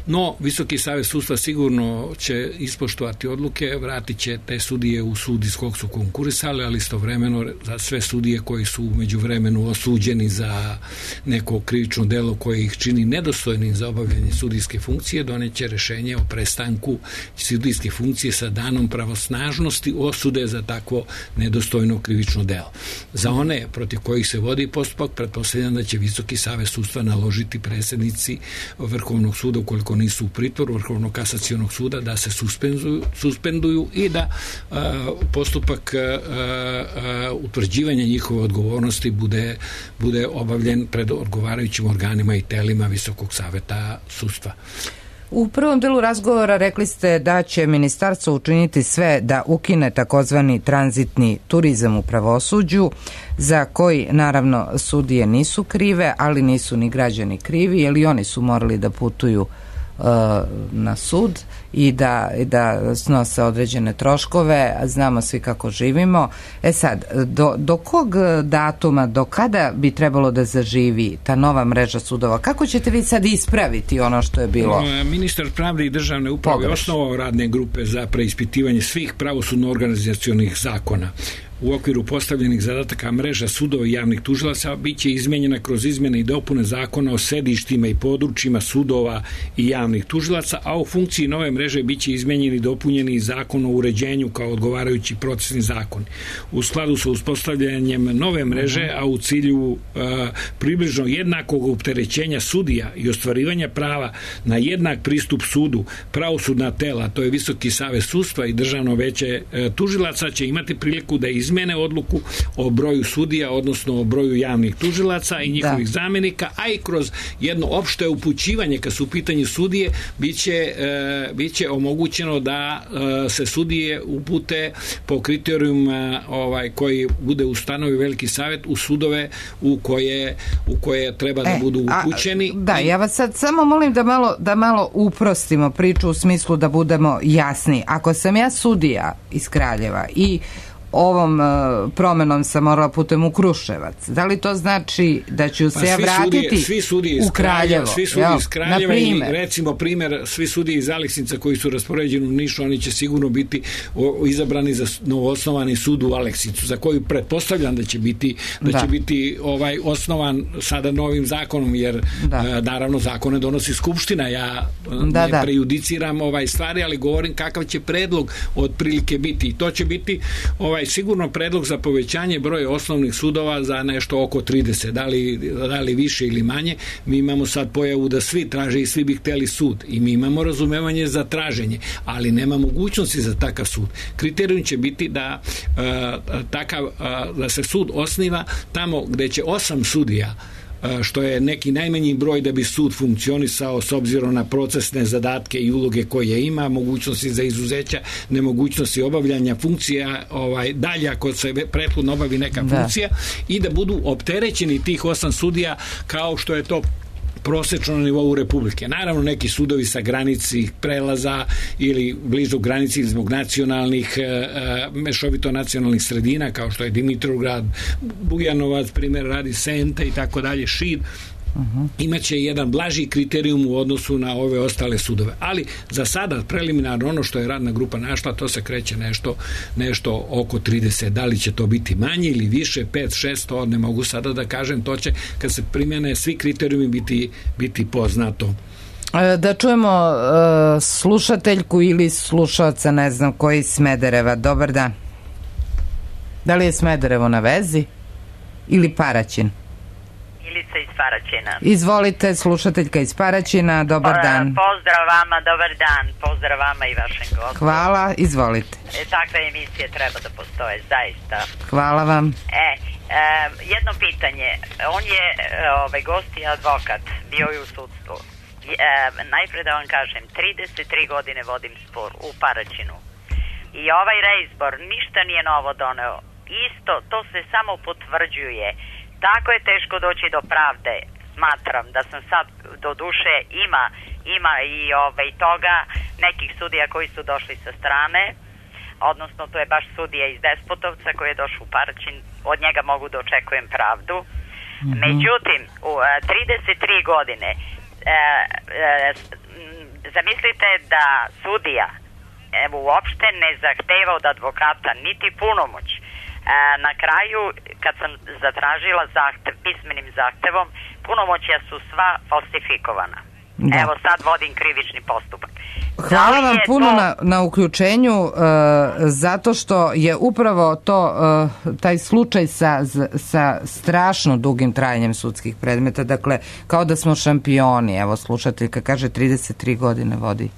No, Visoki savet sudstva sigurno će ispoštovati odluke, vratit će te sudije u sud iz kog su konkurisali, ali istovremeno za sve sudije koji su umeđu vremenu osuđeni za neko krivično delo koje ih čini nedostojnim za obavljanje sudijske funkcije, doneće rešenje o prestanku sudijske funkcije sa danom pravosnažnosti osude za takvo nedostojno krivično delo. Za one protiv kojih se vodi postupak, pretpostavljam da će Visoki savet sudstva naložiti predsjednici Vrhovnog suda, ukoliko nisu u pritvoru, Vrhovnog kasacionog suda, da se suspenduju, suspenduju i da uh, postupak uh, uh, utvrđivanja njihove odgovornosti bude, bude obavljen pred odgovarajućim organima i telima Visokog saveta sudstva. U prvom delu razgovora rekli ste da će ministarstvo učiniti sve da ukine takozvani tranzitni turizam u pravosuđu, za koji naravno sudije nisu krive, ali nisu ni građani krivi, jer i oni su morali da putuju na sud i da, da snose određene troškove, znamo svi kako živimo. E sad, do, do kog datuma, do kada bi trebalo da zaživi ta nova mreža sudova? Kako ćete vi sad ispraviti ono što je bilo? Ministar pravde i državne uprave osnovao radne grupe za preispitivanje svih pravosudno-organizacionih zakona. U okviru postavljenih zadataka mreža sudova i javnih tužilaca biće izmenjena kroz izmjene i dopune zakona o sedištima i područjima sudova i javnih tužilaca, a u funkciji nove mreže biće izmenjeni i dopunjeni zakon o uređenju kao odgovarajući procesni zakon. U skladu sa uspostavljanjem nove mreže, a u cilju uh, približno jednakog opterećenja sudija i ostvarivanja prava na jednak pristup sudu, pravosudna tela, to je Visoki savet sudstva i Državno veće uh, tužilaca, će imati priliku da izmene odluku o broju sudija, odnosno o broju javnih tužilaca i njihovih da. zamenika, a i kroz jedno opšte upućivanje kad su u pitanju sudije, biće, e, biće omogućeno da e, se sudije upute po kriterijuma ovaj, koji bude ustanovio Veliki savet u sudove u koje, u koje treba da e, budu upućeni. A, da, ja vas sad samo molim da malo, da malo uprostimo priču u smislu da budemo jasni. Ako sam ja sudija iz Kraljeva i ovom uh, promenom sam morala putem u Kruševac. Da li to znači da ću se pa ja vratiti sudije, svi sudije iz u Kraljevo? Svi sudije iz Kraljeva i recimo primjer, svi sudije iz Aleksinca koji su raspoređeni u Nišu, oni će sigurno biti o, izabrani za novoosnovani sud u Aleksincu, za koju pretpostavljam da će biti da, da. će biti ovaj osnovan sada novim zakonom, jer da. uh, naravno zakone donosi Skupština. Ja da, ne da. prejudiciram ovaj stvari, ali govorim kakav će predlog otprilike biti. I to će biti ovaj sigurno predlog za povećanje broja osnovnih sudova za nešto oko trideset, da li, da li više ili manje. Mi imamo sad pojavu da svi traže i svi bi hteli sud i mi imamo razumevanje za traženje, ali nema mogućnosti za takav sud. Kriterijum će biti da uh, takav, uh, da se sud osniva tamo gde će osam sudija što je neki najmanji broj da bi sud funkcionisao s obzirom na procesne zadatke i uloge koje ima, mogućnosti za izuzeća, nemogućnosti obavljanja funkcija, ovaj, dalje ako se prethodno obavi neka Da. funkcija, i da budu opterećeni tih osam sudija kao što je to prosečno na nivou Republike. Naravno, neki sudovi sa granici prelaza ili blizu granici zbog nacionalnih, e, mešovito nacionalnih sredina, kao što je Dimitrovgrad, Bujanovac, primjer radi Senta i tako dalje, Šid, Uh-huh. imaće jedan blaži kriterijum u odnosu na ove ostale sudove. Ali za sada preliminarno ono što je radna grupa našla, to se kreće nešto, nešto oko trideset. Da li će to biti manje ili više, pet, šest, to ne mogu sada da kažem, to će kad se primjene svi kriterijumi biti, biti poznato. Da čujemo uh, slušateljku ili slušalca, ne znam koji, iz Smedereva. Dobar dan. Da li je Smederevo na vezi ili Paraćin? Ilica iz Paraćina. Izvolite, slušateljka iz Paraćina, dobar dan. Pozdrav vama, dobar dan, pozdrav vama i vašem gostu. Hvala, izvolite. E, takve emisije treba da postoje, zaista. Hvala vam. E, e jedno pitanje, on je ovaj, gost i advokat, bio je u sudstvu. E, najpre da vam kažem, trideset tri godine vodim spor u Paraćinu i ovaj reizbor ništa nije novo doneo. Isto, to se samo potvrđuje. Tako je teško doći do pravde. Smatram da sam sad, do duše, ima, ima i ovaj, toga nekih sudija koji su došli sa strane, odnosno to je baš sudija iz Despotovca koji je došao u Paraćin, od njega mogu da očekujem pravdu. Mm-hmm. Međutim, u a, trideset tri godine e, e, zamislite da sudija evo, uopšte ne zahteva od advokata niti punomoć. Na kraju, kad sam zatražila zahtev, pismenim zahtevom, punomoćja su sva falsifikovana. Da. Evo sad vodim krivični postupak. Hvala vam puno to... na, na uključenju, uh, zato što je upravo to, uh, taj slučaj sa, sa strašno dugim trajanjem sudskih predmeta, dakle, kao da smo šampioni. Evo, slušateljka kaže trideset tri godine vodi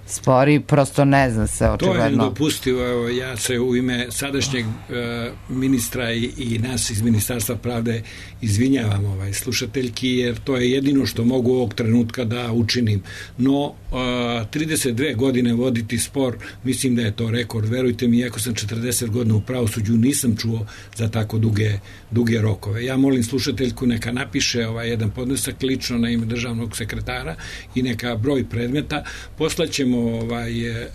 spori, prosto ne zna se očigledno. To je nedopustivo. Evo, ja se u ime sadašnjeg e, ministra i, i nas iz Ministarstva pravde izvinjavam ovaj, slušateljki, jer to je jedino što mogu ovog trenutka da učinim. No, e, trideset dve godine voditi spor, mislim da je to rekord. Verujte mi, iako sam četrdeset godina u pravosuđu, nisam čuo za tako duge, duge rokove. Ja molim slušateljku neka napiše ovaj jedan podnesak lično na ime državnog sekretara i neka broj predmeta. Poslaćemo ovaj, e,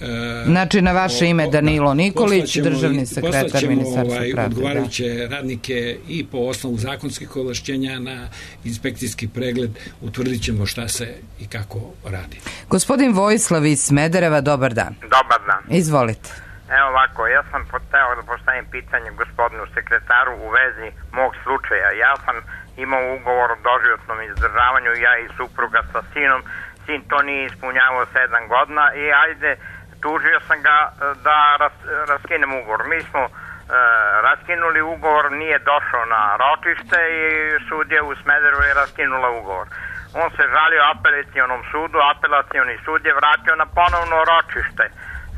znači na vaše ime Danilo Nikolić, državni sekretar Ministarstva ovaj, pravde. Odgovarajuće da. radnike i po osnovu zakonskih ovlašćenja na inspekcijski pregled utvrdit ćemo šta se i kako radi. Gospodin Vojislav iz Smedereva, dobar dan. Dobar dan. Izvolite. Evo ovako, ja sam poteo da postavim pitanje gospodinu sekretaru u vezi mog slučaja. Ja sam imao ugovor o doživotnom izdržavanju, ja i supruga sa sinom. Sin to nije ispunjavao sedam godina i ajde, tužio sam ga da ras, raskinem ugovor. Mi smo e, raskinuli ugovor, nije došao na ročište i sudija u Smederevu je raskinula ugovor. On se žalio apelacionom sudu, apelacioni sud je vratio na ponovno ročište,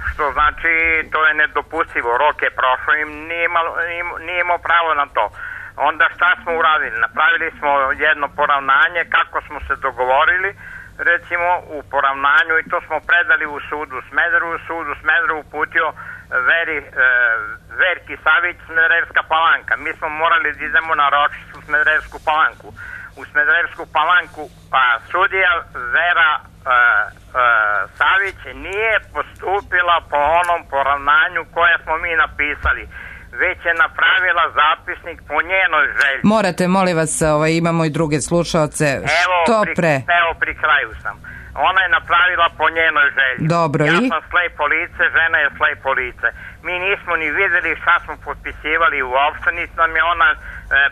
što znači to je nedopustivo, rok je prošao i nije imao, nije imao pravo na to. Onda šta smo uradili? Napravili smo jedno poravnanje kako smo se dogovorili, recimo u poravnanju, i to smo predali u sudu Smederevu. Sud u Smederevu uputio Veri, e, Verki Savić, Smederevska Palanka. Mi smo morali da idemo na ročištu u Smederevsku Palanku. U Smederevsku Palanku pa sudija Vera e, e, Savić nije postupila po onom poravnanju koje smo mi napisali, već je napravila zapisnik po njenoj želji. Morate, molim vas, ovaj, imamo i druge slušaoce. Evo, što pri, pre? Evo, pri kraju sam. Ona je napravila po njenoj želji. Dobro, ja i? sam slepo lice, žena je slepo lice. Mi nismo ni videli šta smo potpisivali uopšte, niti nam je ona e,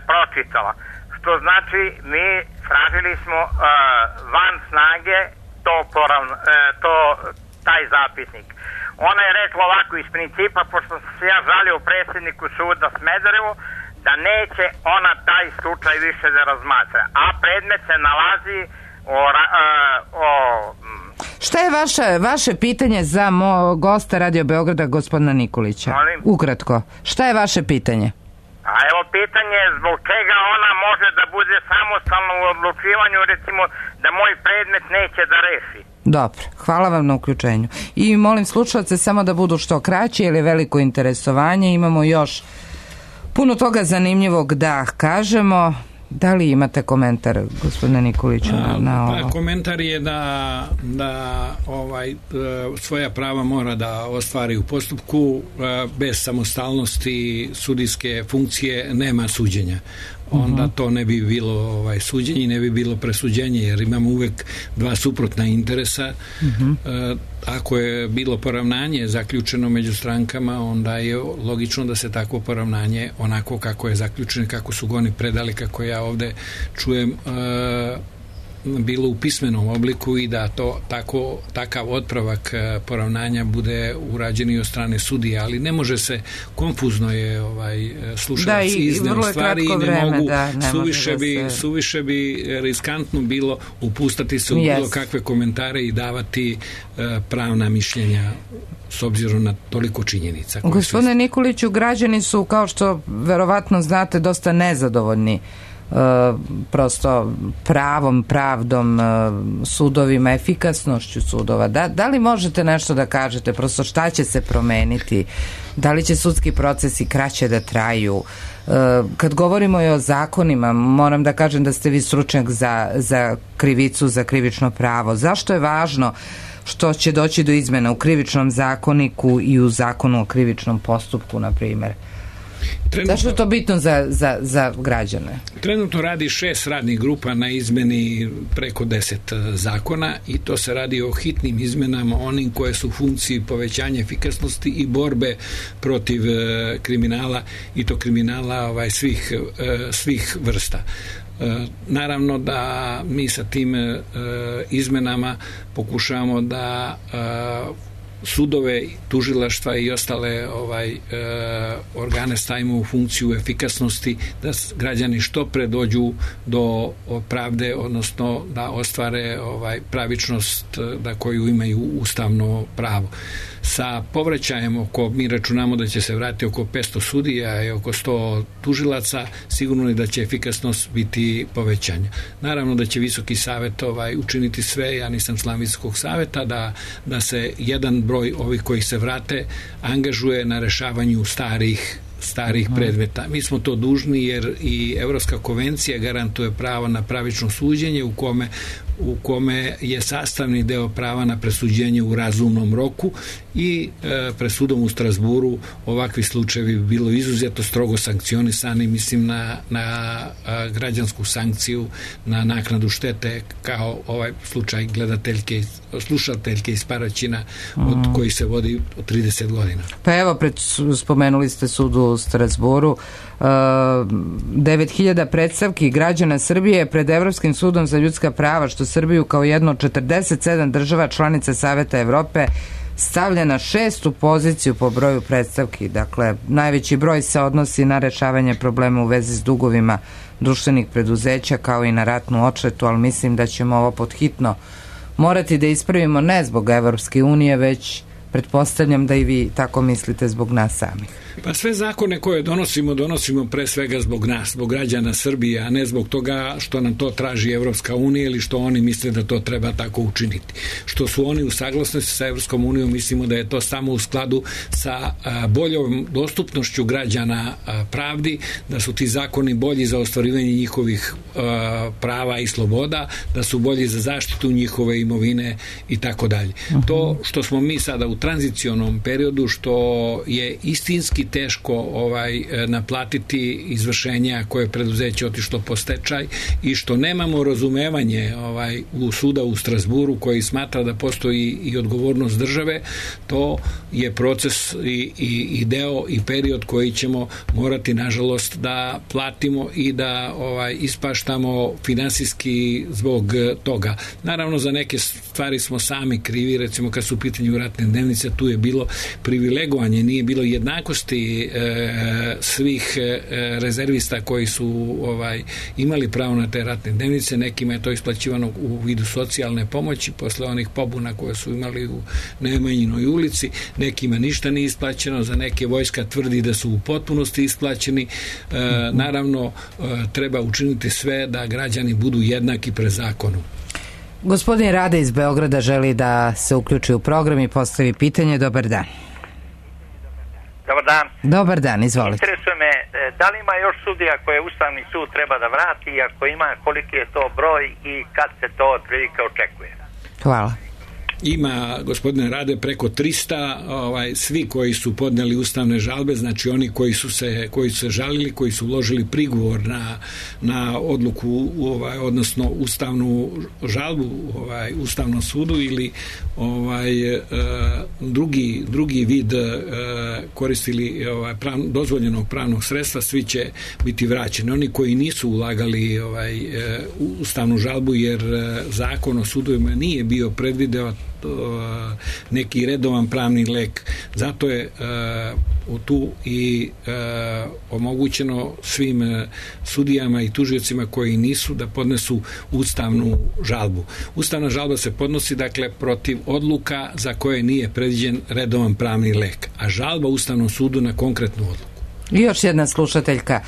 pročitala. Što znači, mi tražili smo e, van snage to, poravno, e, to taj zapisnik. Ona je rekla ovako iz principa, pošto sam se ja žalio predsjedniku suda Smederevo, da neće ona taj slučaj više da razmatra. A predmet se nalazi o... o, o Šta je vaše, vaše pitanje za mo, gosta Radio Beograda, gospodina Nikolića? Molim? Ukratko. Šta je vaše pitanje? A evo pitanje je zbog čega ona može da bude samostalna u odlučivanju, recimo da moj predmet neće da reši. Dobro, hvala vam na uključenju. I molim slušalce samo da budu što kraće, jer je veliko interesovanje. Imamo još puno toga zanimljivog da kažemo. Da li imate komentar, gospodine Nikoliću, na, na ovo? Pa, komentar je da, da ovaj, svoja prava mora da ostvari u postupku. Bez samostalnosti sudijske funkcije nema suđenja. Onda to ne bi bilo ovaj, suđenje i ne bi bilo presuđenje, jer imamo uvek dva suprotna interesa. Uh-huh. E, ako je bilo poravnanje zaključeno među strankama, onda je logično da se takvo poravnanje onako kako je zaključeno, kako su ga oni predali, kako ja ovde čujem, e, bilo u pismenom obliku i da to tako, takav otpravak poravnanja bude urađen i od strane sudije, ali ne može se, konfuzno je ovaj, slušalac izneo stvari i ne vreme, mogu, da, ne suviše, da bi, se... suviše bi riskantno bilo upustati se u yes. bilo kakve komentare i davati uh, pravna mišljenja s obzirom na toliko činjenica. Gospodine Nikoliću, građani su, kao što verovatno znate, dosta nezadovoljni Uh, prosto pravom, pravdom, uh, sudovima, efikasnošću sudova. Da, da li možete nešto da kažete, prosto šta će se promeniti? Da li će sudski procesi kraće da traju? Uh, kad govorimo i o zakonima, moram da kažem da ste vi stručnjak za, za krivicu, za krivično pravo. Zašto je važno što će doći do izmena u krivičnom zakoniku i u zakonu o krivičnom postupku, na primjer? Trenutno, zašto je to bitno za, za, za građane? Trenutno radi šest radnih grupa na izmeni preko deset zakona i to se radi o hitnim izmenama, onim koje su u funkciji povećanja efikasnosti i borbe protiv e, kriminala, i to kriminala ovaj, svih, e, svih vrsta. E, naravno da mi sa tim e, izmenama pokušavamo da e, sudove, tužilaštva i ostale ovaj e, organe stavimo u funkciju efikasnosti, da građani što pre dođu do pravde, odnosno da ostvare ovaj pravičnost da koju imaju ustavno pravo. Sa povraćajem oko, mi računamo da će se vratiti oko petsto sudija i oko sto tužilaca, sigurno je da će efikasnost biti povećanja. Naravno da će Visoki savet ovaj, učiniti sve, ja nisam član Visokog saveta, da, da se jedan broj ovih koji se vrate angažuje na rešavanju starih starih predmeta. Mi smo to dužni jer i Evropska konvencija garantuje pravo na pravično suđenje u kome u kome je sastavni deo prava na presuđenje u razumnom roku i e, presudom u Strasburu ovakvi slučajevi bi bilo izuzetno strogo sankcionisani, mislim na, na a, građansku sankciju, na naknadu štete, kao ovaj slučaj gledateljke, slušateljke iz Paraćina od mm. koji se vodi od trideset godina. Pa evo, pred, spomenuli ste sud u Strasburu, devet hiljada predstavki građana Srbije pred Evropskim sudom za ljudska prava, što Srbiju kao jedno od četrdeset sedam država članica Saveta Evrope stavlja na šestu poziciju po broju predstavki. Dakle, najveći broj se odnosi na rešavanje problema u vezi s dugovima društvenih preduzeća, kao i na ratnu odštetu, ali mislim da ćemo ovo podhitno morati da ispravimo, ne zbog Evropske unije, već pretpostavljam da i vi tako mislite zbog nas samih. Pa sve zakone koje donosimo, donosimo pre svega zbog nas, zbog građana Srbije, a ne zbog toga što nam to traži Evropska unija ili što oni misle da to treba tako učiniti. Što su oni u saglasnosti sa Evropskom unijom, mislimo da je to samo u skladu sa a, boljom dostupnošću građana a, pravdi, da su ti zakoni bolji za ostvarivanje njihovih a, prava i sloboda, da su bolji za zaštitu njihove imovine i tako dalje. To što smo mi sada u tranzicionom periodu, što je istinski teško ovaj naplatiti izvršenja koje je preduzeće otišlo po stečaj i što nemamo razumevanje ovaj u suda u Strasburu koji smatra da postoji i odgovornost države, to je proces i, i, i deo i period koji ćemo morati nažalost da platimo i da ovaj ispaštamo finansijski zbog toga. Naravno za neke stvari smo sami krivi, recimo kad su u pitanju ratne dnevnice, tu je bilo privilegovanje, nije bilo jednakosti nepravilnosti e, svih e, rezervista koji su ovaj imali pravo na te ratne dnevnice. Nekima je to isplaćivano u vidu socijalne pomoći posle onih pobuna koje su imali u Nemanjinoj ulici, nekima ništa nije isplaćeno, za neke vojska tvrdi da su u potpunosti isplaćeni. E, naravno e, treba učiniti sve da građani budu jednaki pred zakonom. Gospodin Rade iz Beograda želi da se uključi u program i postavi pitanje. Dobar dan. Dobar dan. Dobar dan, izvolite. Interesuje me, da li ima još sudija koje Ustavni sud treba da vrati, i ako ima, koliki je to broj i kad se to otprilike očekuje? Hvala. Ima, gospodine Rade, preko trista, ovaj, svi koji su podneli ustavne žalbe, znači oni koji su se, koji su se žalili, koji su uložili prigovor na, na odluku, ovaj, odnosno ustavnu žalbu ovaj, Ustavnom sudu ili ovaj, e, drugi, drugi vid e, koristili ovaj, prav, dozvoljenog pravnog sredstva, svi će biti vraćeni. Oni koji nisu ulagali ovaj, e, ustavnu žalbu jer e, zakon o sudovima nije bio predvideo neki redovan pravni lek. Zato je uh, tu i uh, omogućeno svim uh, sudijama i tužiocima koji nisu da podnesu ustavnu žalbu. Ustavna žalba se podnosi dakle protiv odluka za koje nije predviđen redovan pravni lek, a žalba Ustavnom sudu na konkretnu odluku. I još jedna slušateljka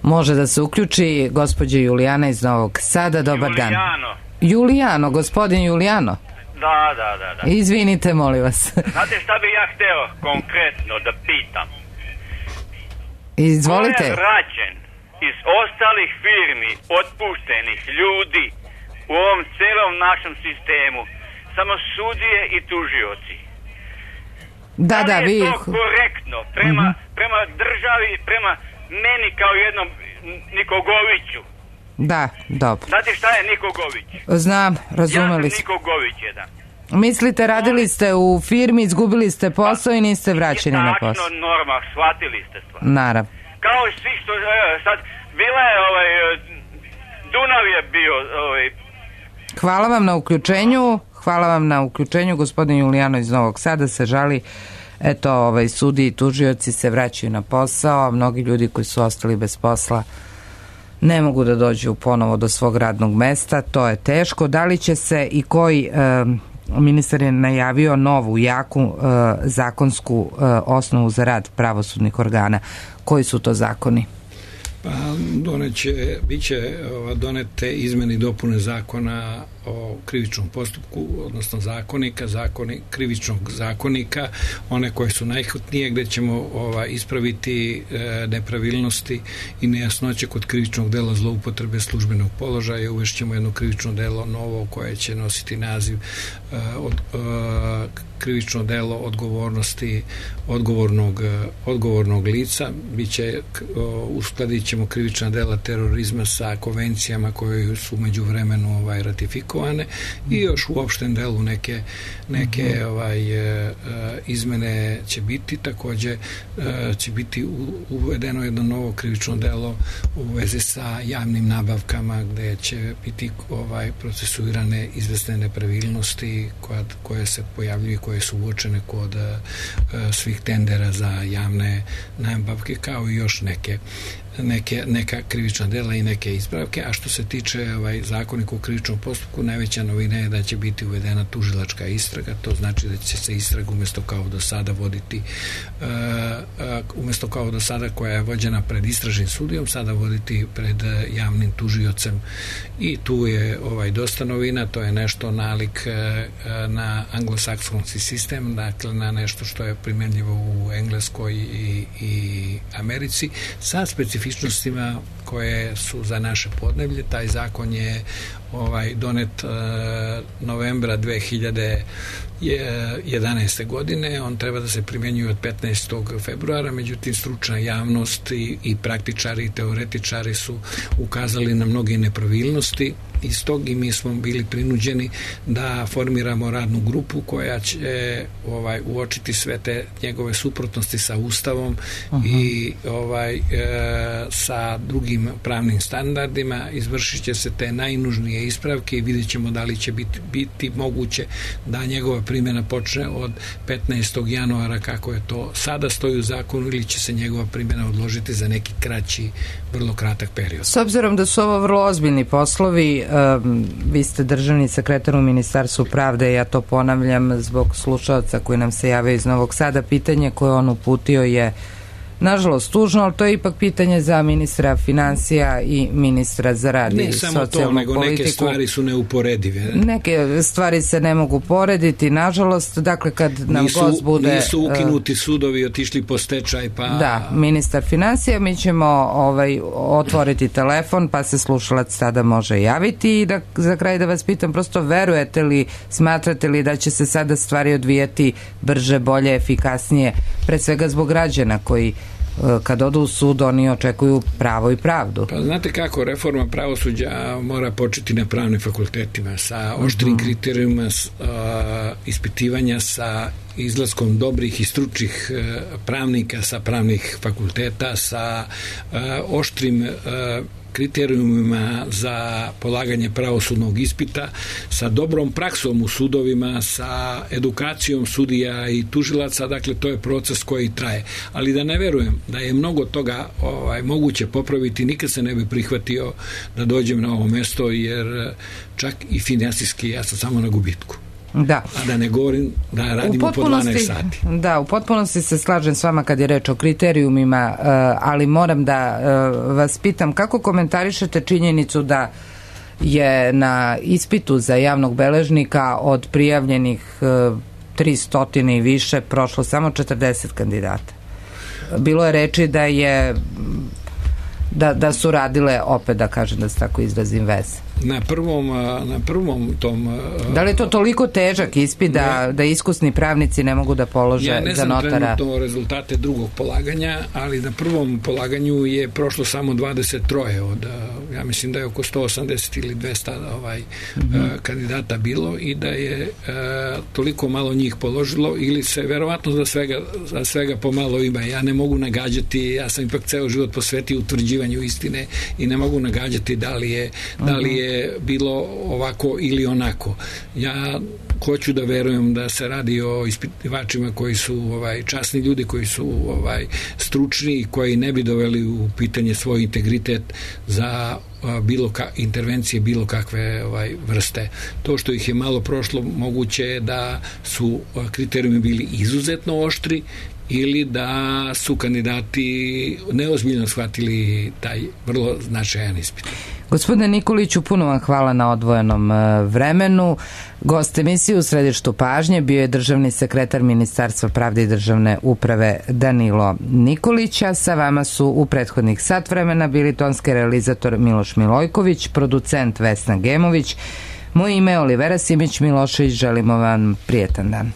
može da se uključi, gospođa Julijana iz Novog Sada. Dobar dan. Julijano. Julijano, gospodin Julijano. Da, da, da, da. Izvinite, molim vas. Znate šta bi ja hteo konkretno da pitam? Izvolite. Ko je vraćen iz ostalih firmi, otpuštenih ljudi u ovom celom našem sistemu? Samo sudije i tužioci. Da, da, vi... Da li je to korektno prema, uh-huh. prema državi, prema meni kao jednom Nikogoviću? Da, dobro. Znate šta je Nikogović? Znam, razumeli Ja sam Nikogović jedan. Mislite, radili ste u firmi, izgubili ste posao i niste vraćeni na posao. Tačno, norma, shvatili ste stvar. Naravno. Kao i svi što, sad, bila je ovaj, Dunav je bio, ovaj... Hvala vam na uključenju, hvala vam na uključenju, gospodin Julijano iz Novog Sada se žali, eto, ovaj, sudi i tužioci se vraćaju na posao, a mnogi ljudi koji su ostali bez posla ne mogu da dođu ponovo do svog radnog mesta, to je teško. Da li će se i koji e, ministar je najavio novu, jaku e, zakonsku e, osnovu za rad pravosudnih organa? Koji su to zakoni? Pa doneće, bit će donete izmene i dopune zakona o krivičnom postupku, odnosno zakonika, zakoni, krivičnog zakonika, one koje su najhitnije, gde ćemo ova, ispraviti e, nepravilnosti i nejasnoće kod krivičnog dela zloupotrebe službenog položaja. Uvešćemo jedno krivično delo novo koje će nositi naziv e, od, e, krivično delo odgovornosti odgovornog, odgovornog lica. Biće, uskladit ćemo krivična dela terorizma sa konvencijama koje su među vremenu ovaj, ratifikovane i još u opštem delu neke, neke ovaj, izmene će biti. Takođe će biti uvedeno jedno novo krivično delo u vezi sa javnim nabavkama gde će biti ovaj, procesuirane izvesne nepravilnosti koje, koje se pojavljuju, koje su uočene kod uh, svih tendera za javne nabavke, kao i još neke neke, neka krivična dela i neke ispravke. A što se tiče ovaj, zakonika u krivičnom postupku, najveća novina je da će biti uvedena tužilačka istraga. To znači da će se istraga umjesto kao do sada voditi uh, uh, umjesto kao do sada koja je vođena pred istražnim sudijom, sada voditi pred uh, javnim tužiocem. I tu je ovaj, dosta novina, to je nešto nalik uh, na anglosaksonski sistem, dakle na nešto što je primjenljivo u Engleskoj i, i Americi, sa specifičnostima koje su za naše podneblje. Taj zakon je ovaj, donet uh, novembra dve hiljade jedanaeste. godine. On treba da se primjenjuje od petnaestog februara, međutim stručna javnost i, i praktičari i teoretičari su ukazali na mnoge nepravilnosti iz tog i mi smo bili prinuđeni da formiramo radnu grupu koja će ovaj, uočiti sve te njegove suprotnosti sa Ustavom uh-huh. i ovaj, e, sa drugim pravnim standardima. Izvršit će se te najnužnije ispravke i vidjet ćemo da li će biti, biti moguće da njegova primjena počne od petnaestog januara kako je to sada stoji u zakonu ili će se njegova primjena odložiti za neki kraći, vrlo kratak period. S obzirom da su ovo vrlo ozbiljni poslovi, um, vi ste državni sekretar u Ministarstvu pravde, ja to ponavljam zbog slušalca koji nam se javio iz Novog Sada, pitanje koje on uputio je nažalost tužno, ali to je ipak pitanje za ministra finansija i ministra za rad i socijalnu politiku. Ne samo to, nego neke stvari su neuporedive. Neke stvari se ne mogu porediti, nažalost, dakle kad nam nisu, gost bude... Nisu ukinuti sudovi, otišli po stečaj, pa... Da, ministar finansija, mi ćemo ovaj, otvoriti telefon, pa se slušalac tada može javiti i da za kraj da vas pitam, prosto verujete li, smatrate li da će se sada stvari odvijati brže, bolje, efikasnije, pre svega zbog građana koji kad odu u sud oni očekuju pravo i pravdu. Pa znate kako, reforma pravosuđa mora početi na pravnim fakultetima sa oštrim mm-hmm. kriterijuma uh, ispitivanja, sa izlaskom dobrih i stručnih uh, pravnika sa pravnih fakulteta, sa uh, oštrim uh, kriterijumima za polaganje pravosudnog ispita, sa dobrom praksom u sudovima, sa edukacijom sudija i tužilaca, dakle to je proces koji traje. Ali da ne verujem da je mnogo toga ovaj, moguće popraviti, nikad se ne bi prihvatio da dođem na ovo mesto, jer čak i finansijski ja sam samo na gubitku. Da. A da ne govorim da radimo po dvanaest sati. Da, u potpunosti se slažem s vama kad je reč o kriterijumima, ali moram da vas pitam kako komentarišete činjenicu da je na ispitu za javnog beležnika od prijavljenih tristo i više prošlo samo četrdeset kandidata. Bilo je reči da je da, da su radile, opet da kažem da se tako izrazim, veze. Na prvom, na prvom tom... Da li je to toliko težak ispit da, ja, da iskusni pravnici ne mogu da polože za notara? Ja ne znam trenutno rezultate drugog polaganja, ali na prvom polaganju je prošlo samo dvadeset tri od, ja mislim da je oko sto osamdeset ili dvesta ovaj, mm-hmm. kandidata bilo i da je uh, toliko malo njih položilo ili se verovatno za svega, za svega pomalo ima. Ja ne mogu nagađati, ja sam ipak ceo život posvetio utvrđivanju istine i ne mogu nagađati da li je, mm-hmm. da li je bilo ovako ili onako. Ja hoću da verujem da se radi o ispitivačima koji su ovaj, časni ljudi, koji su ovaj, stručni i koji ne bi doveli u pitanje svoj integritet za bilo ka, intervencije bilo kakve ovaj, vrste. To što ih je malo prošlo, moguće je da su kriterijumi bili izuzetno oštri ili da su kandidati neozbiljno shvatili taj vrlo značajan ispit. Gospodine Nikoliću, puno vam hvala na odvojenom vremenu. Gost emisije u središtu pažnje bio je državni sekretar Ministarstva pravde i državne uprave Danilo Nikolić, a sa vama su u prethodnih sat vremena bili tonski realizator Miloš Milojković, producent Vesna Gemović. Moje ime je Olivera Simić Milošević, želimo vam prijetan dan.